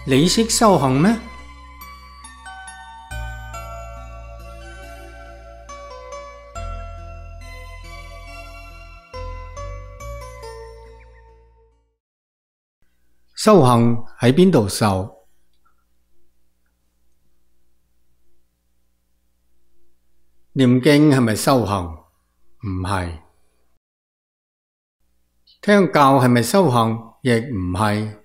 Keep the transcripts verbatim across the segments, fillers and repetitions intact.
你識修行咩？修行喺邊度受？念經係咪修行？唔係。聽教係咪修行？亦唔係。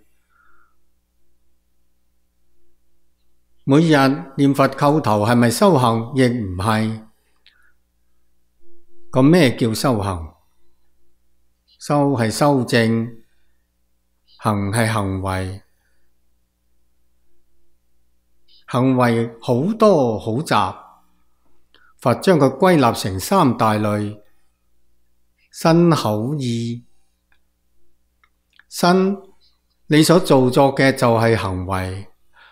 每日念佛叩頭係咪修行？亦唔係。咁咩叫修行？修係修正，行係行為。行為好多好雜，佛將佢歸納成三大類：身口意。身，你所做作嘅就係行為，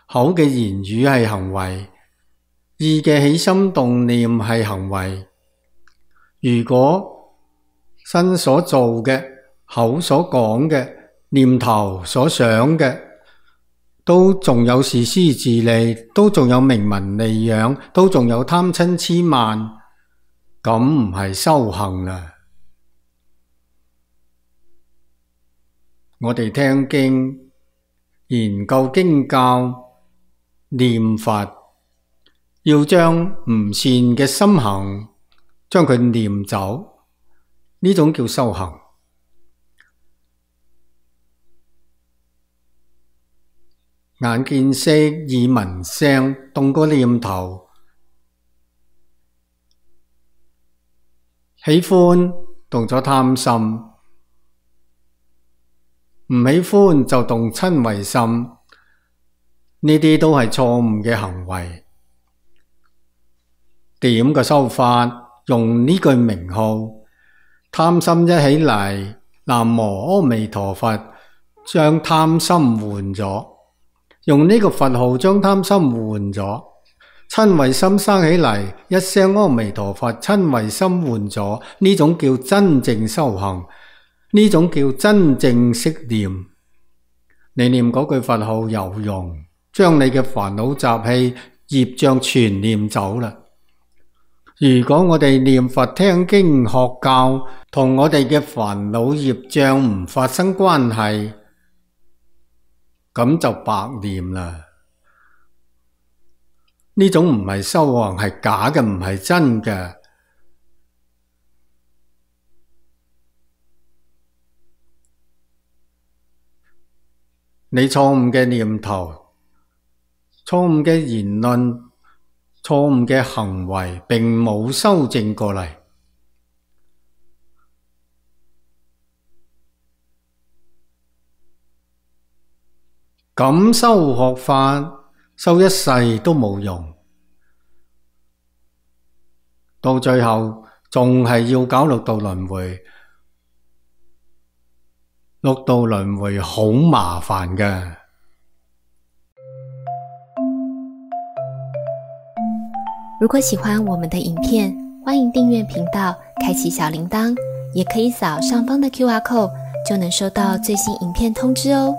口嘅言語係行為，意嘅起心動念係行為。如果身所做嘅、口所講嘅、念頭所想嘅，都仲有自私自利，都仲有名聞利養，都仲有貪嗔癡慢，咁唔係修行啦。我哋聽經、研究經教、念佛，要將唔善嘅心行，將佢念走，呢種叫修行。眼見色，耳聞聲，動個念頭，喜歡動咗貪心，唔喜歡就動瞋恚心，呢啲都係錯誤嘅行為。點個修法？用呢句名號，貪心一起嚟，南無阿彌陀佛，將貪心換咗。用呢個佛號將貪心換咗，瞋恚心生起嚟，一聲阿彌陀佛，瞋恚心換咗，呢種叫真正修行，呢種叫真正識念。你念嗰句佛號有用，將你嘅煩惱習氣業障全念走啦。如果我哋念佛聽經學教，同我哋嘅煩惱業障唔發生關係，咁就白念啦。呢種唔係修行，係假嘅，唔係真嘅。你錯誤嘅念頭、錯誤嘅言論、錯誤嘅行為，並冇修正過嚟。咁修學法，修一世都冇用，到最後仲係要搞六道輪迴。六道輪迴好麻煩㗎。如果喜歡我們的影片，歡迎訂閱頻道，開啟小鈴鐺，也可以掃上方的 Q R code，就能收到最新影片通知哦。